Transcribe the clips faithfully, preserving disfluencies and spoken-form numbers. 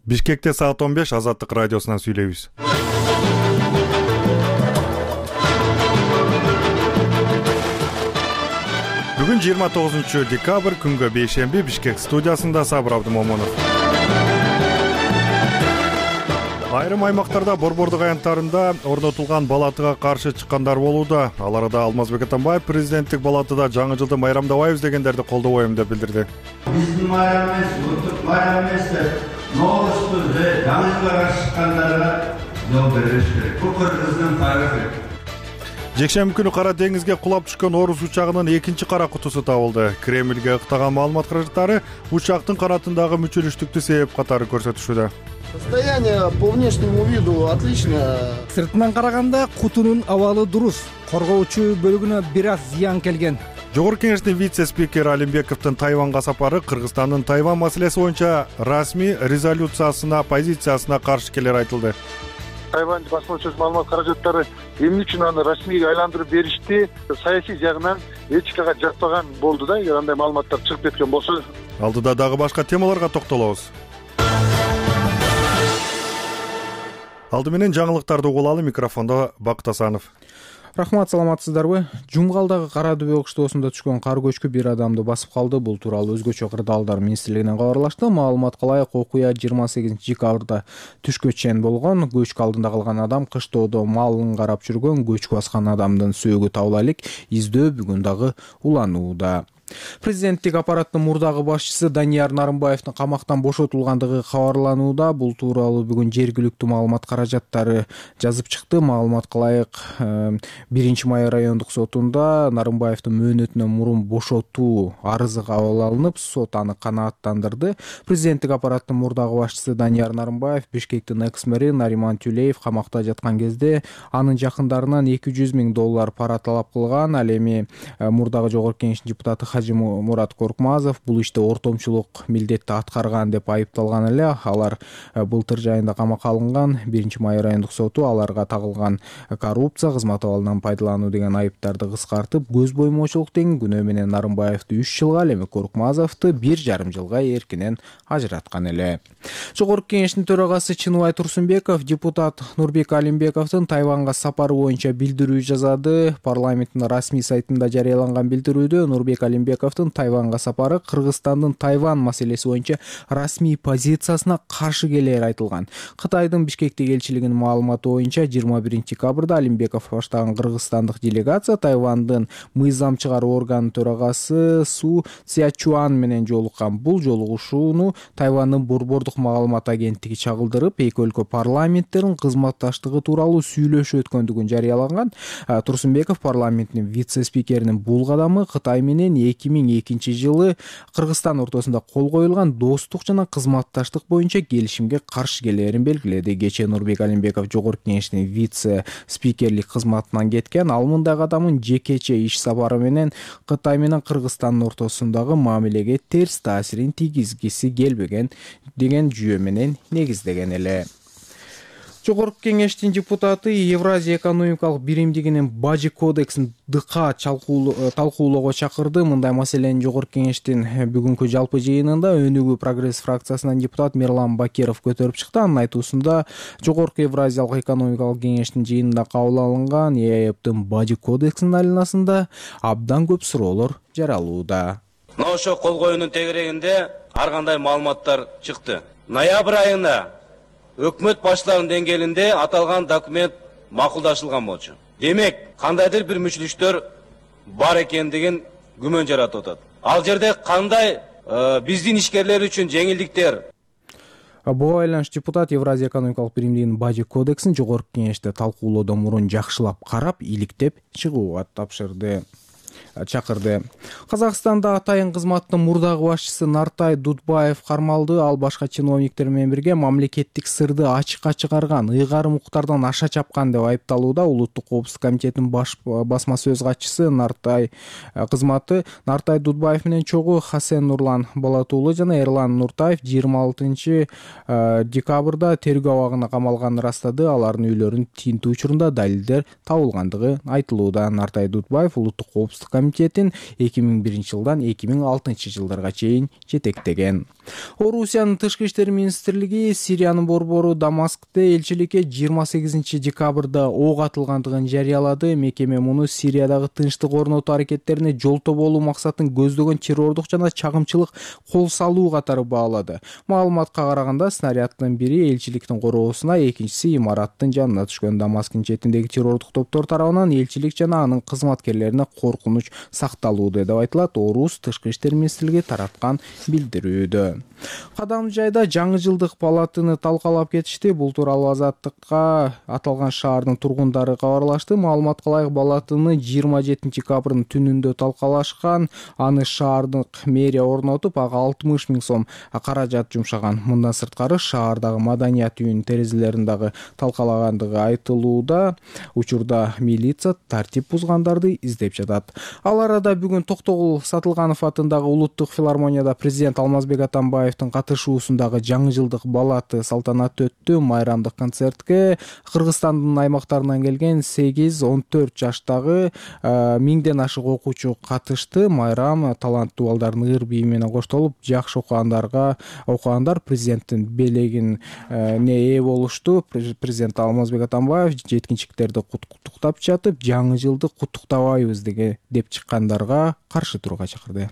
Бишкекте саат он беш Азаттык радиосунан сүйлөйбүз. Бүгүн жыйырма тогузунчу декабрь, күнгө бейшемби, Бишкек студиясында Сабыр Абдымомунов. Айрым аймактарда борбордук аянттарында орнотулган балатыга каршы чыккандар болууда. Аларда Алмазбек Атамбаев президенттик балатыда жаңы жылды майрамдабайбыз дегендерди колдобойм деп билдирди. Биздин майрам эмес, улуттук майрам эмес деп Ноғысту жаңы жылга каршы чыккандарга жол бериш керек. Бул Кыргыздын тарыхы. Жекшемби күнү Кара деңизге кулап түшкөн орус учагынын экинчи кара кутусу табылды. Кремльге ыктаган маалымат каражаттары учактын канатындагы мүчүлүштүктү себеп катары көрсөтүшүүдө. Состояние по внешнему виду отлично. Сыртынан караганда кутунун абалы дурус. Коргоочу бөлүгүнө бир аз зыян келген. Жогорку кеңештин вице-спикери Алимбековдун Тайванга сапары Кыргызстандын Тайван маселеси боюнча расмий резолюциясына, позициясына каршы келери айтылды. Тайвань басмачы маалымат каражаттары эмне үчүн аны расмийге айландырып беришти? Саясий жагынан этикага жатпаган болду да, эгер андай маалыматтар чыгып кеткен болсо. Алдыда дагы башка темаларга токтолобуз. Алды менен жаңылыктарды угулалы, микрофондо Бакыт Асанов. Рахмат, саламатсыздарбы? Жумгалдагы Кара Дөбө кыштоосунда түшкөн кар көчкү бир адамды басып калды. Бул тууралуу өзгөчө кырдаалдар министрлигинен кабарлашты. Маалыматка ылайык, окуя жыйырма сегизинчи декабрда түшкө чейин болгон. Көчкү алдында калган адам кыштоодо малын карап жүргөн көчкү баскан адамдын сөөгү табыла элек. Издөө бүгүн дагы уланууда. Президенттик аппараттын мурдагы башчысы Данияр Нарымбаевдин камактан бошотулгандыгы кабарланууда. Бул тууралуу бүгүн жергиликтүү маалымат каражаттары жазып чыкты. Маалыматка ылайык, биринчи май райондук сотунда Нарымбаевдин мөөнөтүнөн мурун бошотуу арызы кабыл алынып, сот аны канааттандырды. Президенттик аппараттын мурдагы башчысы Данияр Нарымбаев Бишкектин экс-мэри Нариман Тюлеев камакта жаткан кезде анын жакындарынан эки жүз миң доллар пара талап кылган. Ал эми мурдагы жогорку кеңештин депутаты Мурат Коркмазов бул иште ортомчулук милдетти аткарган деп айыпталган эле. Алар былтыр жайында камакка алынган. биринчи май райондук соту аларга тагылган коррупция, кызмат абалынан пайдалануу деген айыптарды кыскартып, көз боймоочулук деген күнөө менен Нарымбаевди үч жылга, ал эми Коркмазовду бир жарым жылга эркинен ажыраткан эле. Жогорку кеңештин төрагасы Чыныбай Турсунбеков депутат Нурбек Алимбековдун Тайванга сапары боюнча билдирүү жазады. Парламенттин расмий сайтында жарыяланган билдирүүдө Нурбек Алимбековдун Тайванга сапары Кыргызстандын Тайван маселеси боюнча расмий позициясына каршы келери айтылган. Кытайдын Бишкектеги элчилигинин маалыматы боюнча жыйырма биринчи декабрда Алимбеков баштаган кыргызстандык делегация Тайвандын мыйзам чыгаруу органынын төрагасы Су Цзячуан менен жолуккан. Бул жолугушууну Тайвандын борбордук маалымат агенттиги чагылдырып, эки өлкө парламенттеринин кызматташтыгы тууралуу сүйлөшүү өткөндүгүн жарыялаган. Турсунбеков парламенттин вице-спикеринин бул кадамы Кытай менен эки миң экинчи жылы Кыргызстан ортосунда кол коюлган достук жана кызматташтык боюнча келишимге каршы келерин белгиледи. Кечээ Нурбек Алимбеков жогорку кеңештин вице-спикерлик кызматынан кеткен. Ал мындай кадамын жекече иш сапары менен Кытай менен Кыргызстандын ортосундагы мамилеге терс таасирин тийгизгиси келбеген деген жүйө менен негиздеген эле. Жогорку кеңештин депутаты Евразия экономикалык биримдигинин бажы кодексин дыкка талкуулоого чакырды. Мындай маселени жогорку кеңештин бүгүнкү жалпы жыйынында Өнүгүү прогресс фракциясынан депутат Мерлан Бакеров көтөрүп чыкты. Анын айтуусунда жогорку Евразиялык экономикалык кеңештин жыйынында кабыл алынган ЕАЭБдин бажы кодексинин айланасында абдан көп суроолор жаралууда. Мына ошо кол коюунун тегерегинде ар кандай маалыматтар чыкты. Ноябрь айында өкмөт баштарынын деңгээлинде аталган документ макулдашылган болчу. Демек, кандайдыр бир мүчүлүштөр бар экендигин күмөн жаратып атат. Ал жерде кандай биздин ишкерлер үчүн жеңилдиктер? Буга байланыш депутат Евразия экономикалык биримдигинин бажы кодексин жогорку кеңеште талкуулоодон мурун жакшылап карап, иликтеп чыгууга тапшырды. чакырды. Казакстанда атайын кызматтын мурдагы башчысы Нартай Дудбаев кармалды. Ал башка чиновниктер менен бирге мамлекеттик сырды ачыкка чыгарган, ыйгарым укуктардан аша чапкан деп айыпталууда. Улуттук коопсуздук комитетинин баш басма сөз катчысы Нартай кызматы Нартай Дудбаев менен чогуу Хасен Нурлан Балатуулу жана Эрлан Нуртаев жыйырма алтынчы декабрда тергөө абагына камалганын ырастады. Алардын үйлөрүнүн тинтүү учурунда далилдер табылгандыгы айтылууда. Нартай Дудбаев улуттук коопсуздук комитетин эки миң биринчи жылдан эки миң алтынчы жылдарга чейин жетектеген. Орусиянын тышкы иштер министрлиги Сириянын борбору Дамаскте элчиликке жыйырма сегизинчи декабрда ок атылгандыгын жарыялады. Мекеме муну Сириядагы тынчтык орнотуу аракеттерине жолтоо болуу максатын көздөгөн террордук жана чагымчылык кол салуу катары баалады. Маалыматка караганда снаряддын бири элчиликтин короосуна, экинчиси имараттын жанына түшкөн. Дамасктын четиндеги террордук топтор тарабынан элчилик жана анын кызматкерлерине коркунуч сакталууда деп айтылат Орус тышкы иштер министрлиги тараткан билдирүүдө. Кадамжайда жаңы жылдык палатыны талкалап кетишти. Бул тууралуу Азаттыкка аталган шаардын тургундары кабарлашты. Маалыматка ылайык палатыны жыйырма жетинчи декабрдын түнүндө талкалашкан. Аны шаардык мэрия орнотуп, ага алтымыш миң сом каражат жумшаган. Мындан сырткары шаардагы маданият үйүнүн терезелерин дагы талкалагандыгы айтылууда. Учурда милиция тартип бузгандарды издеп жатат. Ал арада бүгүн Токтогул Сатылганов атындагы улуттук филармонияда президент Алмазбек Атамбаевдин катышуусундагы жаңы жылдык балаты салтанаты өттү. Майрамдык концертке Кыргызстандын аймактарынан келген сегиз он төрт жаштагы миңден ашык окуучу катышты. Майрам таланттуу балдардын ыр бийи менен коштолуп, жакшы окугандарга окугандар президенттин белегине ээ болушту. Президент Алмазбек Атамбаев жеткинчектерди куттуктап жатып, жаңы жылды куттуктабайбыз деп чыккандарга каршы турууга чакырды.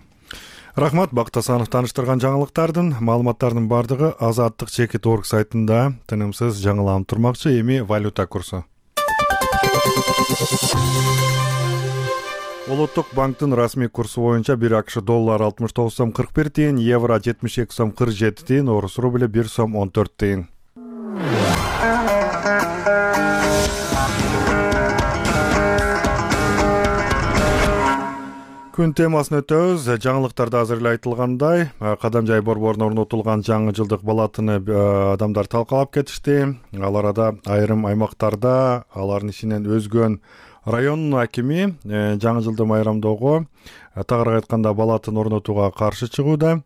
Рахмат, Бакыт Асанов тааныштырган жаңылыктардын маалыматтардын бардыгы азаттык чекит орг сайтында тынымсыз жаңыланып турмакчы. Эми валюта курсу. Улуттук банктын расмий курсу боюнча бир АКШ доллар алтымыш тогуз сом кырк бир тыйын, евро жетимиш эки сом кырк жети тыйын, орус рубли бир сом он төрт тыйын. Күн темасын өтөбүз. Жаңылыктарда азыр эле айтылгандай, Кадамжай борборуна орнотулган жаңы жылдык балатыны адамдар талкалап кетишти. Ал арада айрым аймактарда алардын ичинен өзгөн районун акими жаңы жылды майрамдоого, тагыраак айтканда балатын орнотууга каршы чыгууда.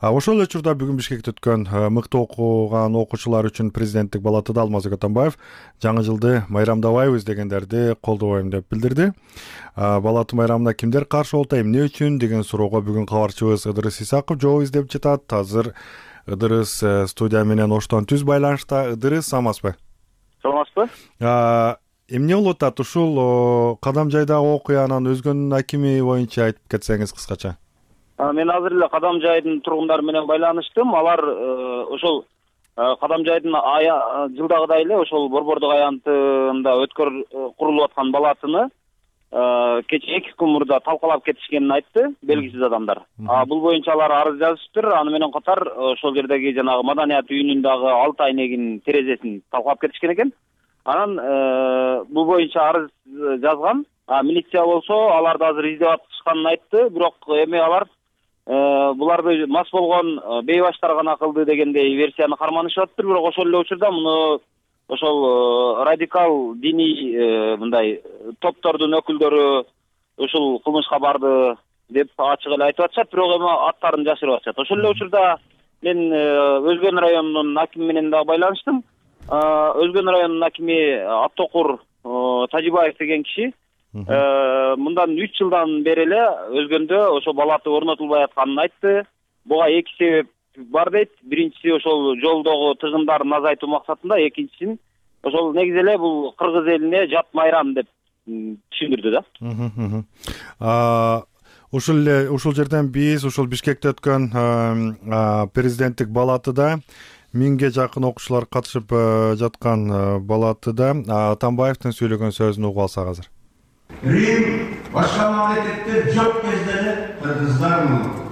Ошол эле учурда бүгүн Бишкекте өткөн мыкты окуган окуучулар үчүн президенттик балатыда Алмазбек Атамбаев жаңы жылды майрамдабайбыз дегендерди колдобойм деп билдирди. Балаты майрамына кимдер каршы болду, эмне үчүн деген суроого бүгүн кабарчыбыз Ыдырыс Исаков жооп издеп жатат. Азыр Ыдырыс студия менен оштон түз байланышта. Ыдырыс, саламатсызбы? Саламатсызбы? Эмне болуп атат ушул Кадамжайдагы окуянын өзгөн акими боюнча айтып кетсеңиз кыскача. Мен азыр эле Кадамжайдын тургундары менен байланыштым. Алар ошол Кадамжайдын жылдагыдай эле ошол борбордук аянтында өткөр курулуп аткан балатыны кечээ эки күн мурда талкалап кетишкенин айтты белгисиз адамдар. Бул боюнча алар арыз жазышыптыр. Аны менен катар ошол жердеги жанагы маданият үйүнүн дагы алты айнегинин терезесин талкалап кетишкен экен. Анан бул боюнча арыз жазган. Милиция болсо аларды азыр издеп атышканын айтты. Бирок эми алар буларды мас болгон бейбаштар гана кылды дегендей версияны карманышып атыптыр. Бирок ошол эле учурда муну ошол радикал диний мындай топтордун өкүлдөрү ушул кылмышка барды деп ачык эле айтып атышат. Бирок эми аттарын жашырып атышат. Ошол эле учурда мен Өзгөн районунун акими менен дагы байланыштым. Өзгөн районунун акими Аттокур Тажибаев деген киши мындан үч жылдан бери эле Өзгөндө ошо балаты орнотулбай атканын айтты. Буга эки себеп бар дейт. Биринчиси ошол жолдогу тыгындарын азайтуу максатында, экинчисин ошол негизи эле бул кыргыз элине жат майрам деп түшүндүрдү да. Ушул эле ушул жерден биз ушул Бишкекте өткөн президенттик балатыда миңге жакын окуучулар катышып жаткан балатыда Атамбаевдин сөйлөгөн сөзүн угуп алсак азыр. Рим башка мамлекеттер жок кезде эле кыргыздар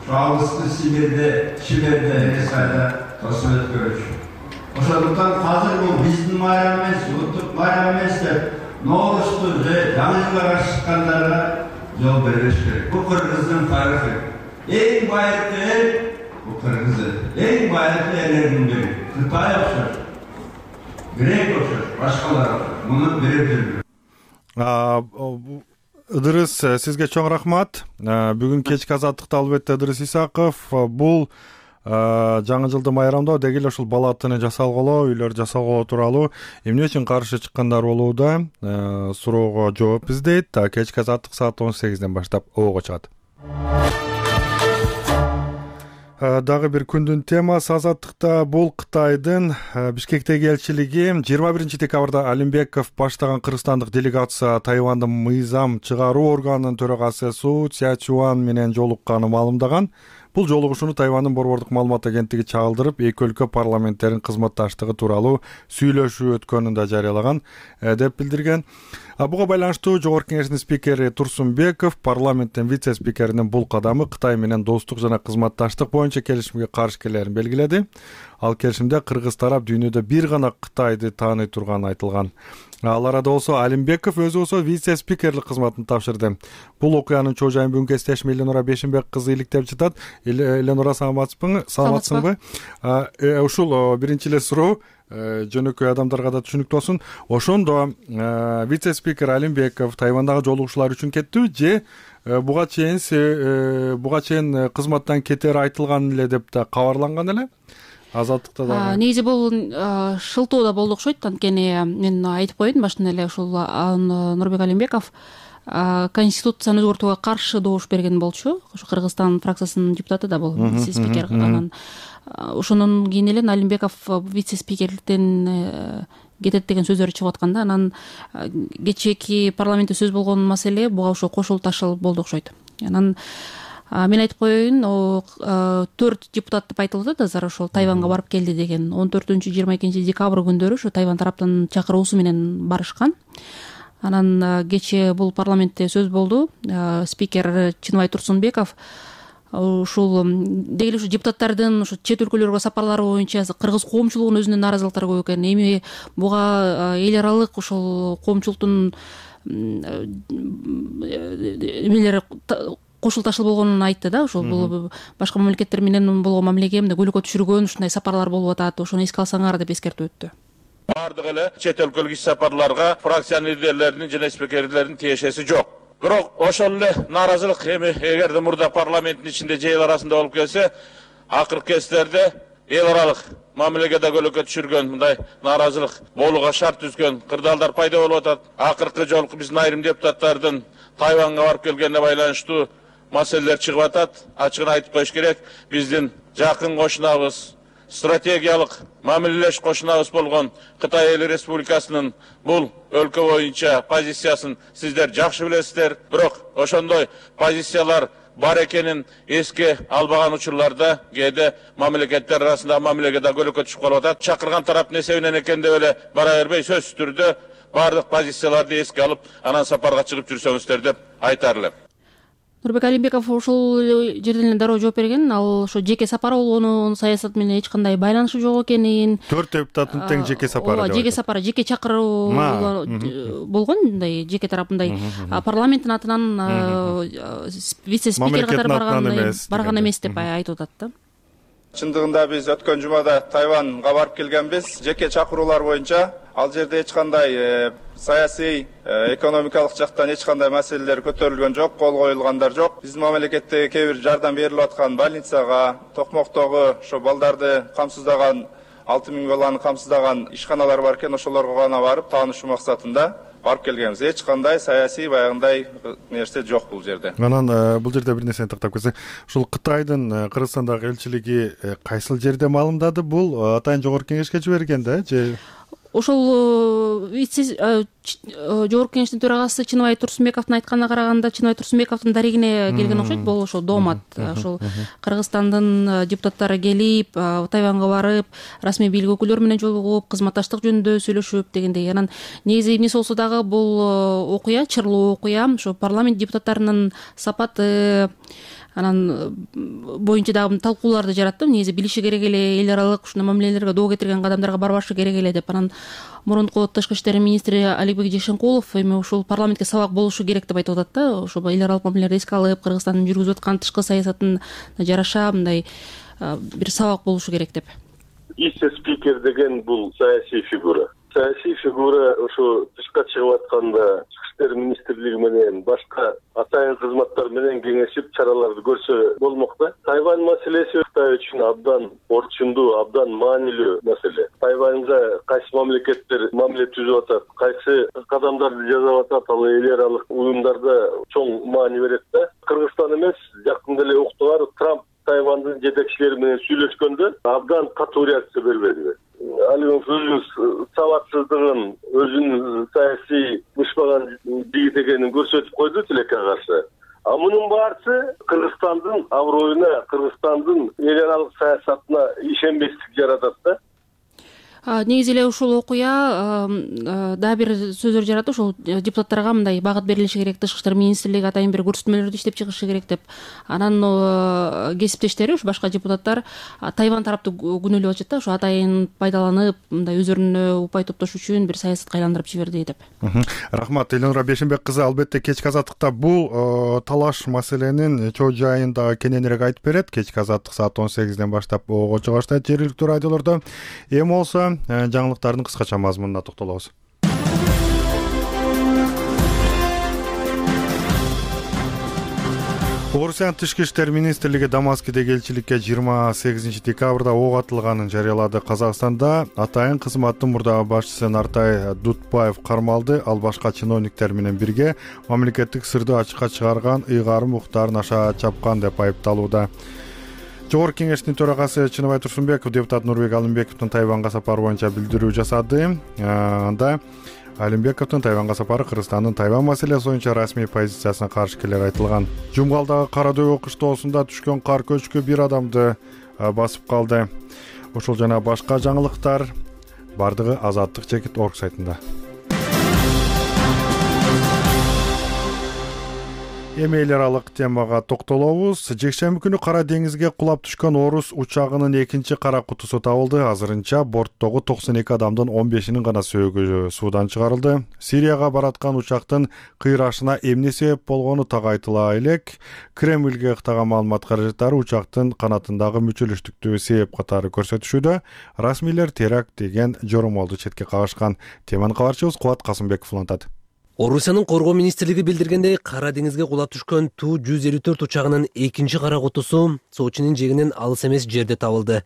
алыскы Сибирде, Сибирде, Ресайда тосуп өткөрүшү. Ошондуктан азыр бул биздин майрам эмес, улуттук майрам эмес деп Ноорусту же жаңы жылга каршы чыккандарга жол бериш керек. Бул кыргыздын тарыхы. Эң байыркы эл бул кыргыз эл. Эң байыркы элдердин бири. Кытай окшош, Грек окшош, башкалар окшош. Муну берип жүрдү. Ыдырыс, сизге чоң рахмат. Бүгүн кечки азаттыкта албетте Ыдырыс Исаков. Бул жаңы жылды майрамдоо деги эле ушул балатыны жасалгылоо, үйлөр жасалгылоо тууралуу эмне үчүн каршы чыккандар болууда суроого жооп издейт. Кечки азаттык саат он сегизден баштап обого чыгат. Дагы бир күндүн темасы азаттыкта бул Кытайдын Бишкектеги элчилиги жыйырма биринчи декабрда Алимбеков баштаган кыргызстандык делегация Тайвандын мыйзам чыгаруу органынын төрагасы Су Цзячуан менен жолукканын маалымдаган. Бул жолугушууну Тайвандын борбордук маалымат агенттиги чагылдырып, эки өлкө парламенттеринин кызматташтыгы тууралуу сүйлөшүү өткөнүн да жарыялаган деп билдирген. Буга байланыштуу Жогорку Кеңештин спикери Турсунбеков парламенттин вице-спикеринин бул кадамы Кытай менен достук жана кызматташтык боюнча келишимге каршы келерин белгиледи. Ал келишимде кыргыз тарап дүйнөдө бир гана Кытайды тааный турганы айтылган. Ал арада болсо Алимбеков өзү болсо вице-спикерлик кызматын тапшырды. Бул окуянын чоо жайын бүгүнкү эстешим Эленора Бешимбек кызы иликтеп жатат. Эленора, саламатсызбы? Саламатсыңбы? Ушул биринчи эле суроо жөнөкөй адамдарга да түшүнүктүү болсун. Ошондо вице-спикер Алимбеков Тайвандагы жолугушуулар үчүн кеттиби же буга чейин буга чейин кызматтан кетери айтылган эле деп да кабарланган эле? Азаттыкта да негизи бул шылтоо да болду окшойт. Анткени мен айтып коеюн баштан эле ушул Нурбек Алимбеков конституцияны өзгөртүүгө каршы добуш берген болчу. Ошо Кыргызстан фракциясынын депутаты да бул вице-спикер. Анан ошондон кийин эле Алимбеков вице-спикерликтен кетет деген сөздөр чыгып аткан да. Анан кечээки парламентте сөз болгон маселе буга ошо кошулуп ташылып болду окшойт. Анан мен айтып коеюн, төрт депутат деп айтылып атат азыр ошол Тайванга барып келди деген. он төртүнчү жыйырма экинчи декабрь күндөрү ошо Тайван тараптын чакыруусу менен барышкан. Анан кечээ бул парламентте сөз болду. Спикер Чыныбай Турсунбеков ушул деги эле ушу депутаттардын ушу чет өлкөлөргө сапарлары боюнча кыргыз коомчулугунун өзүнүн нааразылыктары көп экен. Эми буга эл аралык ошол коомчулуктун эмелери кошулуп ташылып болгонун айтты да. Ошол бул башка мамлекеттер менен болгон мамилеге мындай көйгөйгө түшүргөн ушундай сапарлар болуп атат. Ошону эске алсаңар деп эскертип өттү. Бардык эле чет өлкөлүк иш сапарларга фракциянын лидерлеринин жана спикерлеринин тиешеси жок. Бирок ошол эле нааразылык эми эгерде мурда парламенттин ичинде же эл арасында болуп келсе, акыркы кездерде эл аралык мамилеге да көйгөйгө түшүргөн мындай нааразылык болууга шарт түзгөн кырдаалдар пайда болуп атат. Акыркы жолку биздин айрым депутаттардын Тайванга барып келгенине байланыштуу маселелер чыгып атат. Ачыгын айтып коюш керек, биздин жакын кошунабыз, стратегиялык мамилелеш кошунабыз болгон Кытай Эл Республикасынын бул өлкө боюнча позициясын сиздер жакшы билесиздер. Бирок ошондой позициялар бар экенин эске албаган учурларда кээде мамлекеттер арасында мамилеге да көйгөйгө түшүп калып атат. Чакырган тараптын эсебинен экен деп эле бара бербей, сөзсүз түрдө бардык позицияларды эске алып, анан сапарга чыгып жүрсөңүздөр деп айтар элем. Нурбек Алимбеков ушул жерден эле дароо жооп берген. Ал ошо жеке сапар болгонун, саясат менен эч кандай байланышы жок экенин. Төрт депутаттын тең жеке сапары. Ооба, жеке сапары, жеке чакыруу болгон, мындай жеке тарапындай парламенттин атынан вице-спикер катары барган барган эмес деп айтып атат да. Чындыгында биз өткөн жумада Тайванга барып келгенбиз. Жеке чакыруулар боюнча ал жерде эч кандай саясий, экономикалык жактан эч кандай маселелер көтөрүлгөн жок, кол коюлгандар жок. Биздин мамлекетте кээ бир жардам берилип аткан больницага, Токмоктогу ошо балдарды камсыздаган алты миң баланы камсыздаган ишканалар бар экен, ошолорго гана барып таанышуу максатында барып келгенбиз. Эч кандай саясий баягындай нерсе жок бул жерде. Анан бул жерде бир нерсени тактап кетсек, ушул Кытайдын Кыргызстандагы элчилиги кайсыл жерде маалымдады? Бул атайын жогорку кеңешке жиберген да же? Ошол жогорку кеңештин төрагасы Чыныбай Турсунбековдун айтканына караганда, Чыныбай Турсунбековдун дарегине келген окшойт. Бул ошол доомат. Ошол Кыргызстандын депутаттары келип, Тайванга барып, расмий бийлик өкүлдөрү менен жолугуп, кызматташтык жөнүндө сүйлөшүп дегендей. Анан негизи эмнеси болсо дагы бул окуя, чырлуу окуя, ошо парламент депутаттарынын сапаты анан боюнча дагы талкууларды жаратты. Негизи билиши керек эле, эл аралык ушундай мамилелерге доо кетирген кадамдарга барбашы керек эле деп. Анан мурунку тышкы иштер министри Аликбек Жешенкулов эми ушул парламентке сабак болушу керек деп айтып атат да. Ошо эл аралык мамилелерди эске алып, Кыргызстандын жүргүзүп аткан тышкы саясатын жараша мындай бир сабак болушу керек деп. Вице-спикер деген бул саясий фигура. Саясий фигура ошо тышка чыгып атканда, иштер министрлиги менен башка атайын кызматтар менен кеңешип чараларды көрсө болмок да. Тайвань маселеси Кытай үчүн абдан орчундуу, абдан маанилүү маселе. Тайваньга кайсы мамлекеттер мамиле түзүп атат, кайсы кадамдарды жасап атат, ал эл аралык уюмдарда чоң маани берет да. Кыргызстан эмес, жакында эле уктугар Трамп Тайвандын жетекчилери менен сүйлөшкөндө абдан катуу реакция бербеди. Алын өзүнүн сабатсыздыгын, өзүнүн саясий бышпаган жигит экенин көрсөтүп койду тилекке каршы. А мунун баарысы Кыргызстандын аброюна, Кыргызстандын эл аралык саясатына ишенбестик жаратат да. Негизи эле ушул окуя дагы бир сөздөр жаратты, ошол депутаттарга мындай багыт берилиши керек, тышкы иштер министрлиги атайын бир көрсөтмөлөрдү иштеп чыгышы керек деп. Анан кесиптештери, уш башка депутаттар Тайвань тарапты күнөөлөп атышат да, ошо атайын пайдаланып, мындай өздөрүнө упай топтош үчүн бир саясатка айландырып жиберди деп. Рахмат, Элнура Бешенбек кызы. Албетте кечки азаттыкта бул талаш маселенин чоо жайын дагы кененирээк айтып берет. Кечки азаттык саат он сегизден баштап ого чыга баштайт жергиликтүү радиолордо. Эми болсо жаңылыктардын кыскача мазмунуна токтолобуз. Орусиянын тышкы иштер министрлиги Дамаскидеги элчиликке жыйырма сегизинчи декабрда ок атылганын жарыялады. Казакстанда атайын кызматтын мурдагы башчысы Нартай Дутбаев кармалды. Ал башка чиновниктер менен бирге мамлекеттик сырды ачыкка чыгарган, ыйгарым укуктарын аша чапкан деп айыпталууда. Жогорку кеңештин төрагасы Чыныбай Турсунбеков депутат Нурбек Алымбековдун Тайванга сапары боюнча билдирүү жасады. Анда Алымбековдун Тайванга сапары Кыргызстандын Тайвань маселеси боюнча расмий позициясына каршы келери айтылган. Жумгалдагы Кара дөбө кыштоосунда түшкөн кар көчкү бир адамды басып калды. Ошол жана башка жаңылыктар бардыгы Азаттык чекит точка орг сайтында. Эми эл аралык темага токтолобуз. Жекшемби күнү Кара деңизге кулап түшкөн орус учагынын экинчи кара кутусу табылды. Азырынча борттогу токсон эки адамдын он бешинин гана сөөгү суудан чыгарылды. Сирияга бараткан учактын кыйрашына эмне себеп болгону так айтыла элек. Кремльге ыктаган маалымат каражаттары учактын канатындагы мүчөлүштүктү себеп катары көрсөтүшүүдө. Расмийлер теракт деген жоромолду четке кагышкан. Теманы кабарчыбыз Кубат Касымбеков улантат. Орусиянын коргоо министрлиги билдиргендей, Кара деңизге кулап түшкөн Ту жүз элүү төрт учагынын экинчи кара кутусу Сочинин жээгинен алыс эмес жерде табылды.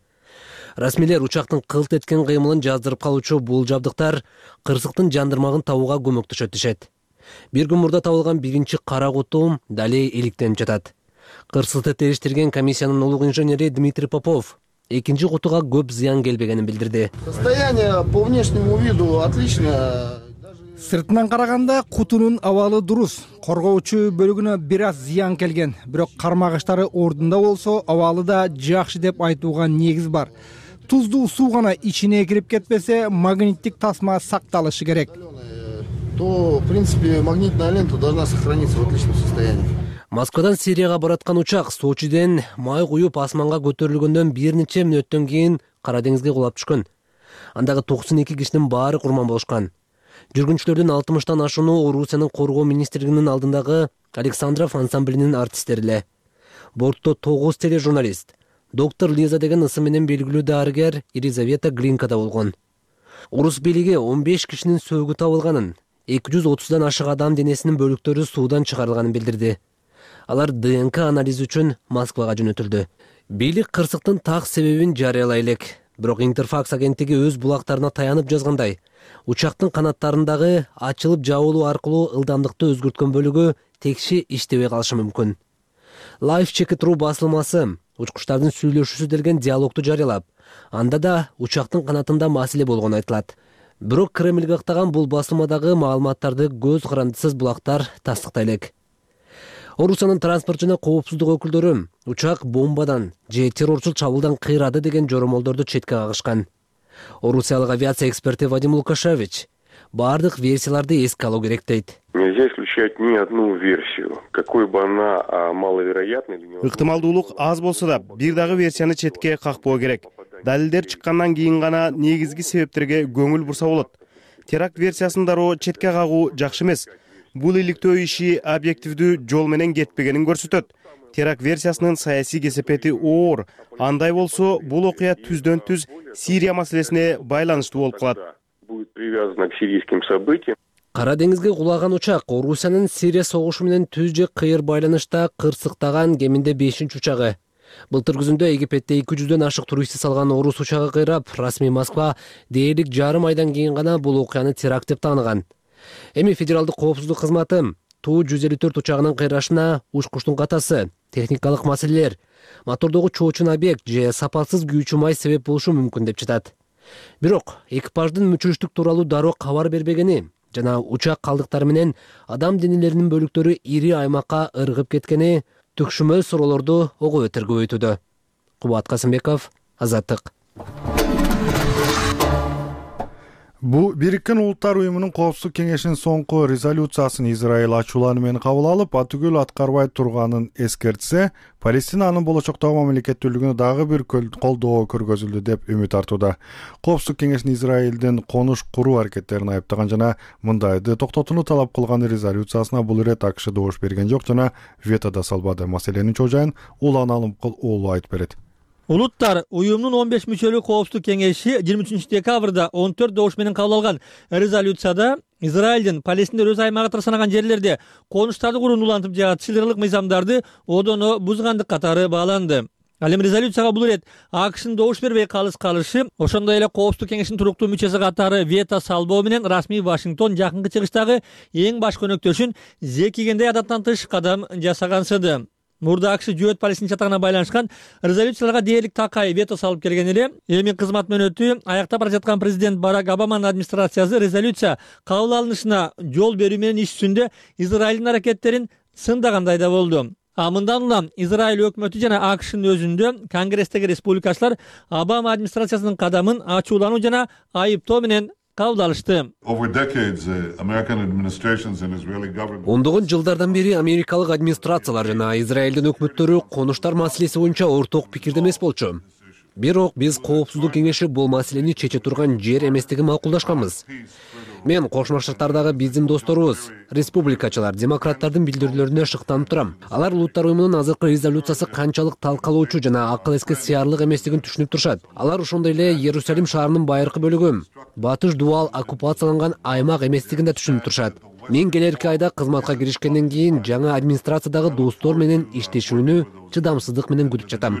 Расмийлер учактын кылт эткен кыймылын жаздырып калуучу бул жабдыктар кырсыктын жандырмагын табууга көмөктөшөт дешет. Бир күн мурда табылган биринчи кара куту дале иликтенип жатат. Кырсыкты териштирген комиссиянын улуг инженери Дмитрий Попов экинчи кутуга көп зыян келбегенин билдирди. Состояние по внешнему виду отлично. Сыртынан караганда кутунун абалы дурус. Коргоочу бөлүгүнө бир аз зыян келген, бирок кармагыштары ордунда болсо, абалы да жакшы деп айтууга негиз бар. Туздуу суу гана ичине кирип кетпесе, магниттик тасма сакталышы керек. То, в принципе, магнитная лента должна сохраниться в отличном состоянии. Москвадан Сирияга бараткан учак Сочиден май куюп асманга көтөрүлгөндөн бир нече мүнөттөн кийин Кара деңизге кулап түшкөн. Андагы токсон эки кишинин баары курман болушкан. Жүргүнчүлөрдүн алтымыштан ашууну Орусиянын коргоо министрлигинин алдындагы Александров ансамблинин артисттери эле. Бортто тогуз тележурналист, доктор Лиза деген ысы менен белгилүү дарыгер Елизавета Глинка да болгон. Орус бийлиги он беш кишинин сөөгү табылганын, эки жүз отуздан ашык адам денесинин бөлүктөрү суудан чыгарылганын билдирди. Алар ДНК анализи үчүн Москвага жөнөтүлдү. Бийлик кырсыктын так себебин жарыялай элек. Бирок Интерфакс агенттиги өз булактарына таянып жазгандай, учактын канаттарындагы ачылып жабылуу аркылуу ылдамдыкты өзгөрткөн бөлүгү текши иштебей калышы мүмкүн. Live Check It басылмасы учкучтардын сүйлөшүүсү делген диалогду жарыялап, анда да учактын канатында маселе болгону айтылат. Бирок Кремльге ыктаган бул басылмадагы маалыматтарды көз карандысыз булактар тастыктай элек. Орусиянын транспорт жана коопсуздук өкүлдөрү учак бомбадан же террорчул чабуулдан кыйрады деген жоромолдорду четке кагышкан. Орусиялык авиация эксперти Вадим Лукашевич бардык версияларды эске алуу керек дейт. Нельзя исключать ни одну версию, какой бы она маловероятной или невозможной. Ыктымалдуулук аз болсо да бир дагы версияны четке какпоо керек. Далилдер чыккандан кийин гана негизги себептерге көңүл бурса болот. Теракт версиясын дароо четке кагуу жакшы эмес. Бул иликтөө иши объективдүү жол менен кетпегенин көрсөтөт. Теракт версиясынын саясий кесепети оор. Андай болсо, бул окуя түздөн түз Сирия маселесине байланыштуу болуп калат. Будет привязано к сирийским событиям. Кара деңизге кулаган учак Орусиянын Сирия согушу менен түз же кыйыр байланышта кырсыктаган кеминде бешинчи учагы. Былтыр күзүндө Египетте эки жүздөн ашык туристти салган орус учагы кыйрап, расмий Москва дээрлик жарым айдан кийин гана бул окуяны теракт деп тааныган. Эми федералдык коопсуздук кызматы Ту жүз элүү төрт учагынын кыйрашына учкучтун катасы, техникалык маселелер, мотордогу чоочун объект же сапасыз күйүүчү май себеп болушу мүмкүн деп жатат. Бирок экипаждын мүчүрүштүк тууралуу дароо кабар бербегени жана учак калдыктары менен адам денелеринин бөлүктөрү ири аймакка ыргып кеткени түкшүмөл суроолорду ого бетер көбөйтүүдө. Кубат Касымбеков, Азаттык. Бу Бириккен Улуттар уюмунун коопсуздук кеңешинин соңку резолюциясын Израиль ачуулануу менен кабыл алып, атүгүл аткарбай турганын эскертсе, Палестинанын болочоктогу мамлекеттүүлүгүнө дагы бир колдоо көргөзүлдү деп үмүт артууда. Коопсуздук кеңешин Израилдин конуш куруу аракеттерин айыптаган жана мындайды токтотууну талап кылган резолюциясына бул ирет АКШ добуш берген жок жана вето да салбады. Маселенин чожайын Улан Алымкул уулу айтып берет. Улуттар уюмунун он беш мүчөлүү коопсуздук кеңеши жыйырма үчүнчү декабрда он төрт добуш менен кабыл алган резолюцияда Израилдин Палестиндер өз аймагы катары санаган жерлерде конуштарды курууну улантып жатышылырлык мыйзамдарды одоно бузгандык катары бааланды. Ал эми резолюцияга бул ирет АКШнын добуш бербей калыс калышы, ошондой эле коопсуздук кеңешинин туруктуу мүчөсү катары вето салбоо менен расмий Вашингтон жакынкы чыгыштагы эң баш көнөктөшүн зекигендей адаттан тыш кадам жасагансыды. Мурда АКШ жөөт Палестин чатагына байланышкан резолюцияларга дээрлик такай вето салып келген эле. Эми кызмат мөөнөтү аяктап бара жаткан президент Барак Обаманын администрациясы резолюция кабыл алынышына жол берүү менен иш жүзүндө Израилдин аракеттерин сындагандай да болду. А мындан улам Израиль өкмөтү жана АКШнын өзүндө Конгресстеги республикачылар Обама администрациясынын кадамын ачуулануу жана айыптоо менен кабыл алышты. Ондогон жылдардан бери америкалык администрациялар жана Израилдин өкмөттөрү конуштар маселеси боюнча орток пикирде эмес болчу. Бирок биз коопсуздук кеңеши бул маселени чече турган жер эместигин макулдашканбыз. Мен Кошмо Штаттардагы биздин досторубуз, республикачылар, демократтардын билдирүүлөрүнө шыктанып турам. Алар Улуттар уюмунун азыркы резолюциясы канчалык талкалоочу жана акыл эске сыярлык эместигин түшүнүп турушат. Алар ошондой эле Иерусалим шаарынын байыркы бөлүгү, батыш дубал оккупацияланган аймак эместигин да түшүнүп турушат. Мен келерки айда кызматка киришкенден кийин жаңы администрациядагы достор менен иштешүүнү чыдамсыздык менен күтүп жатам.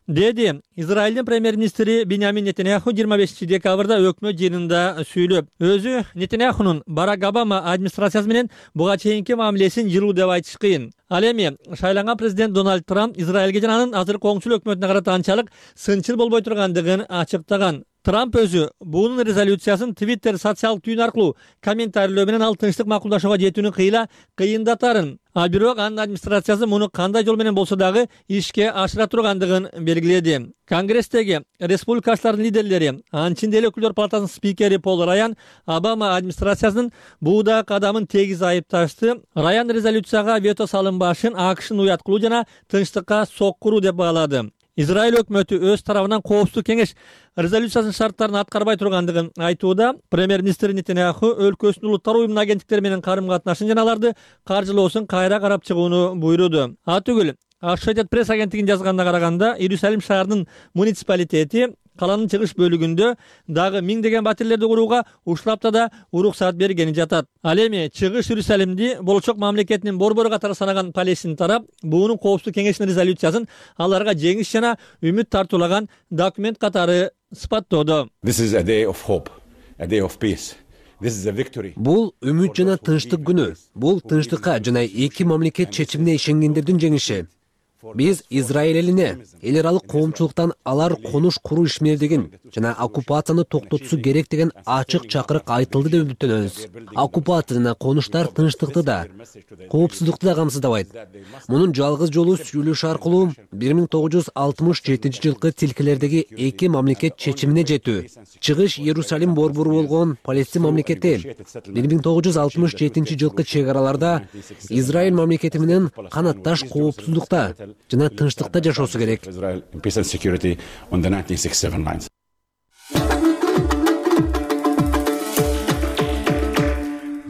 Деди Израилдин премьер-министри Биньямин Нетаньяху жыйырма бешинчи декабрда өкмөт жыйынында сүйлөп, өзү Нетаньяхунун Барак Обама администрациясы менен буга чейинки мамилесин жылуу деп айтыш кыйын. Ал эми шайланган президент Дональд Трамп Израилге жана анын азыркы оңчул өкмөтүнө карата анчалык сынчыл болбой тургандыгын ачыктаган. Трамп өзү буунун резолюциясын Twitter социалдык түйүн аркылуу комментарийлөө менен ал тынчтык макулдашууга жетүүнү кыйла кыйындатарын. А бирок анын администрациясы муну кандай жол менен болсо дагы ишке ашыра тургандыгын белгиледи. Конгресстеги республикачылардын лидерлери, анчын деле өкүлдөр палатасынын спикери Пол Раян Обама администрациясынын бууда кадамын тегиз айыпташты. Раян резолюцияга вето салынбашын АКШнын уяткылуу жана тынчтыкка соккуруу деп баалады. Израиль өкмөтү өз тарабынан коопсуздук кеңеш резолюциясынын шарттарын аткарбай тургандыгын айтууда. Премьер-министр Нетаньяху өлкөсүнүн улуттар уюмунун агенттиктери менен карым-катнашын жана аларды каржылоосун кайра карап чыгууну буйруду. Атүгүл Associated Press агенттигинин жазганына караганда, Иерусалим шаарынын муниципалитети каланын чыгыш бөлүгүндө дагы миңдеген батирлерди курууга уштапта да уруксаат бергени жатат. Ал эми чыгыш Иерусалимди болочок мамлекетинин борбору катары санаган Палестин тарап буунун коопсуздук кеңешинин резолюциясын аларга жеңиш жана үмүт тартуулаган документ катары сыпаттоодо. Бул үмүт жана тынчтык күнү. Бул тынчтыкка жана эки мамлекет чечимине ишенгендердин жеңиши. Биз Израиль элине эл аралык коомчулуктан алар конуш куруу ишмердигин жана оккупацияны токтотуусу керек деген ачык чакырык айтылды деп үмүттөнөбүз. Оккупация жана конуштар тынчтыкты да, коопсуздукту да камсыздабайт. Мунун жалгыз жолу сүйлөшүү аркылуу бир миң тогуз жүз алтымыш жетинчи жылкы тилкелердеги эки мамлекет чечимине жетүү. Чыгыш Иерусалим борбору болгон Палестин мамлекети бир миң тогуз жүз алтымыш жетинчи жылкы чек араларда Израиль мамлекети менен канатташ коопсуздукта жана тынчтыкта жашоосу керек.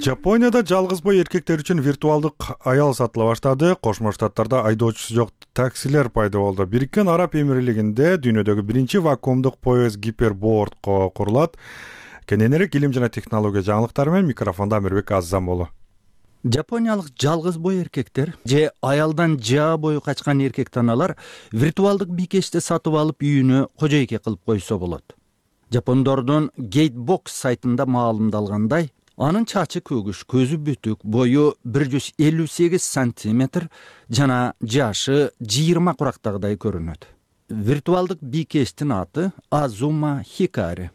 Жапонияда жалгыз бой эркектер үчүн виртуалдык аял сатыла баштады. Кошмо Штаттарда айдоочусу жок таксилер пайда болду. Бириккен Араб Эмирлигинде дүйнөдөгү биринчи вакуумдук поезд гиперборд курулат. кененирээк илим жана технология жаңылыктары менен микрофондо Амирбек Аззамолу. Жапониялык жалгыз бой эркектер же аялдан жаа бою качкан эркек-таналар виртуалдык бийкечти сатып алып үйүнө кожойке кылып койсо болот. Жапондордун Gatebox сайтында маалымдалгандай, анын чачы көгүш, көзү бүтүк, бою бир жүз элүү сегиз сантиметр жана жашы жыйырма курактагыдай көрүнөт. Виртуалдык бийкечтин аты Азума Хикари.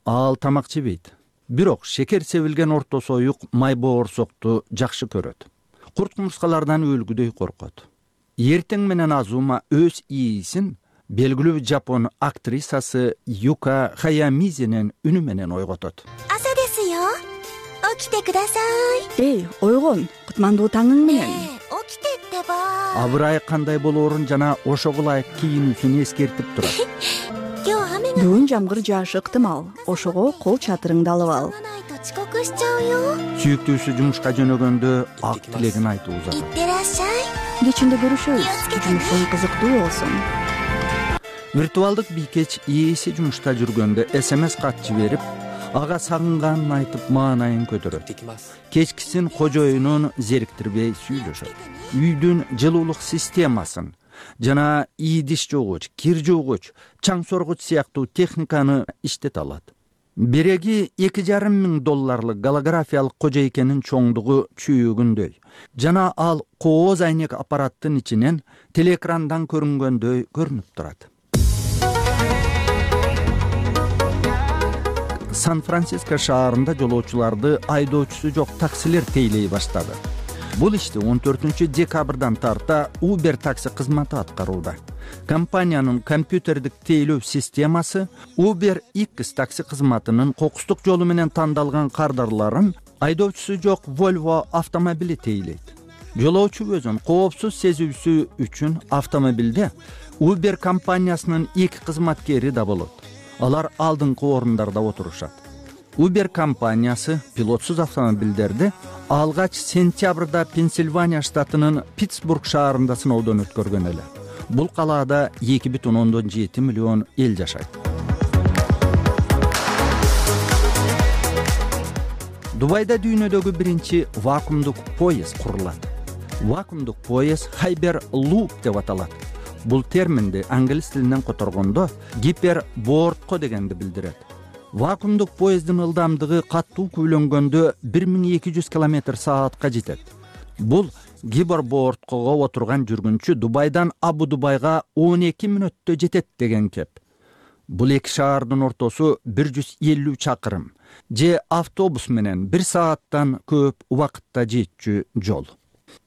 Ал тамак жебейт. Бирок шекер себилген орто союк май боорсокту жакшы көрөт. Курт-кумурскалардан өлгүдөй коркот. Эртең менен Азума өз ээсин белгилүү жапон актрисасы Юка Хаямизинин үнү менен ойготот. Аса десиё. Оките кудасай. Эй, ойгон, кутмандуу таңың менен. Оките ба. Абырай кандай болоорун жана ошого ылайык кийинүүсүн эскертип турат. Бүгүн жамгыр жаашы ыктымал. Ошого кол чатырыңды алып ал. Сүйүктүүсү жумушка жөнөгөндө ак тилегин айтып узат. Кечинде көрүшөбүз. Жумушуң кызыктуу болсун. Виртуалдык бийкеч ээси жумушта жүргөндө эс эм эс кат жиберип, ага сагынганын айтып маанайын көтөрөт. Кечкисин кожоюнун зериктирбей сүйлөшөт. Үйдүн жылуулук системасын жана ийдиш жуугуч, кир жуугуч, чаң соргуч сыяктуу техниканы иштете алат. Биреги эки жарым миң долларлык голографиялык кожойкенин чоңдугу чүйүгүндөй жана ал кооз айнек аппараттын ичинен телеэкрандан көрүнгөндөй көрүнүп турат. Сан-Франциско шаарында жолоочуларды айдоочусу жок таксилер тейлей баштады. Бул ишти он төртүнчү декабрдан тарта Uber такси кызматы аткарууда. Компаниянын компьютердик тейлөө системасы Uber X такси кызматынын кокустук жолу менен тандалган кардарларын айдоочусу жок Volvo автомобили тейлейт. Жолоочу өзүн коопсуз сезүүсү үчүн автомобилде Uber компаниясынын эки кызматкери да болот. Алар алдыңкы орундарда отурушат. Uber компаниясы пилотсуз автомобилдерди алгач сентябрда Пенсильвания штатынын Питтсбург шаарында сыноодон өткөргөн эле. Бул калаада эки бүтүн ондон жети миллион эл жашайт. Дубайда дүйнөдөгү биринчи вакуумдук поезд курулат. Вакуумдук поезд Hyperloop деп аталат. Бул терминди англис тилинен которгондо гипербортко дегенди билдирет. Вакуумдук поезддин ылдамдыгы каттуу күйлөнгөндө бир миң эки жүз километр саатка жетет. Бул гиперборткого отурган жүргүнчү Дубайдан Абу-Дубайга он эки мүнөттө жетет деген кеп. Бул эки шаардын ортосу бир жүз элүү чакырым же автобус менен бир сааттан көп убакытта жетчү жол.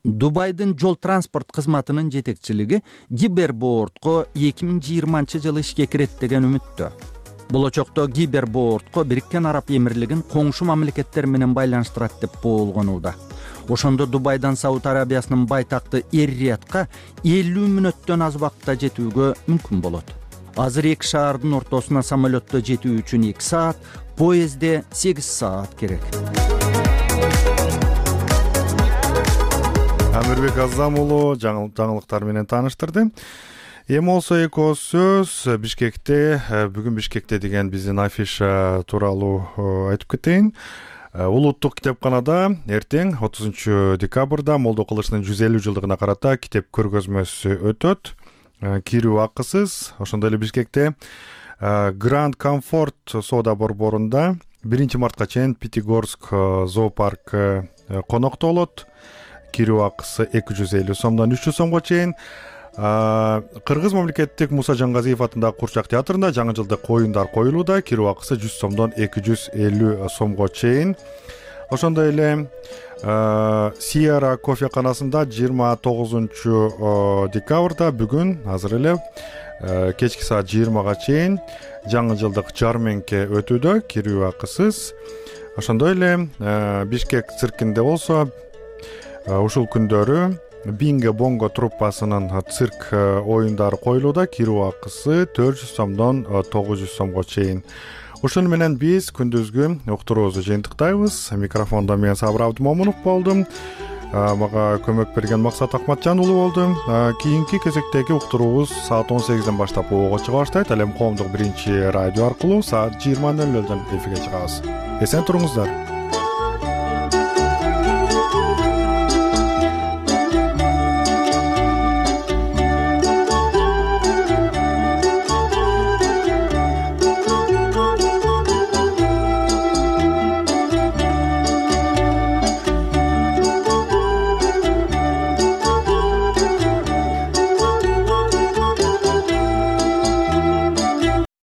Дубайдын жол транспорт кызматынын жетекчилиги гипербортко эки миң жыйырманчы жылы ишке кирет деген үмүттө. Болочокто гипербортко Бириккен Араб Эмирлигин коңшу мамлекеттер менен байланыштырат деп болгонууда. Ошондо Дубайдан Сауд Арабиясынын байтакты Эр-Риядка элүү мүнөттөн аз убакытта жетүүгө мүмкүн болот. Азыр эки шаардын ортосуна самолетто жетүү үчүн эки саат, поездде сегиз саат керек. Амирбек Аззамолу жаңылыктар менен тааныштырды. Эми болсо эки сөз Бишкекте, бүгүн Бишкекте деген биздин афиша тууралуу айтып кетейин. Улуттук китепканада эртең отузунчу декабрда Молдо Кылычтын жүз элүү жылдыгына карата китеп көргөзмөсү өтөт. Кирүү акысыз. Ошондой эле Бишкекте Grand Comfort соода борборунда биринчи мартка чейин Пятигорск зоопарк конокто болот. Кирүү акысы эки жүз элүү сомдон үч жүз сомго чейин. Кыргыз мамлекеттик Муса Жангазиев атындагы Курчак театрында жаңы жылдык оюндар коюлууда. Кирүү акысы жүз сомдон эки жүз элүү сомго чейин. Ошондой эле Сиера кофеканасында жыйырма тогузунчу декабрда бүгүн азыр эле кечки саат жыйырмага чейин жаңы жылдык жарменке өтүүдө. Кирүү акысыз. Ошондой эле Бишкек циркинде болсо ушул күндөрү Бинго Бонго труппасынын цирк оюндары коюлууда. Кирүү акысы төрт жүз сомдон тогуз жүз сомго чейин. Ошону менен биз күндүзгү уктуруубузду жыйынтыктайбыз. Микрофондо мен Сабыр Абдымомунов болдум. мага көмөк берген Максат Акматжан уулу болду. Кийинки кезектеги уктуруубуз саат он сегизден баштап ого чыга баштайт. Ал эми коомдук биринчи радио аркылуу саат жыйырма нөл нөлдөн эфирге чыгабыз. Эсен туруңуздар.